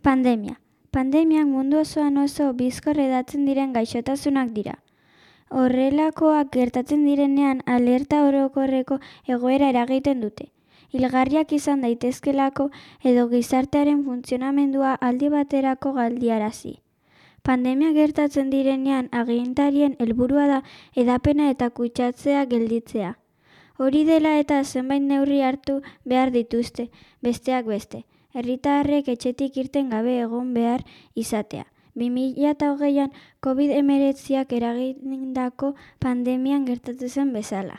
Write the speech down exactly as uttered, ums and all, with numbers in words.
Pandemia. Pandemiak mundu osoan oso bizkor hedatzen diren gaixotasunak dira. Horrelakoak gertatzen direnean alerta orokorreko egoera eragiten dute. Hilgarriak izan daitezkelako edo gizartearen funtzionamendua aldi baterako galdiarazi. Pandemia gertatzen direnean agintarien helburua da hedapena eta kutsatzea gelditzea. Hori dela eta zenbait neurri hartu behar dituzte, besteak beste. Herritarrek etxetik irten gabe egon behar izatea. bi mila hogeian covid hemeretziak eragindako pandemian gertatu zen bezala.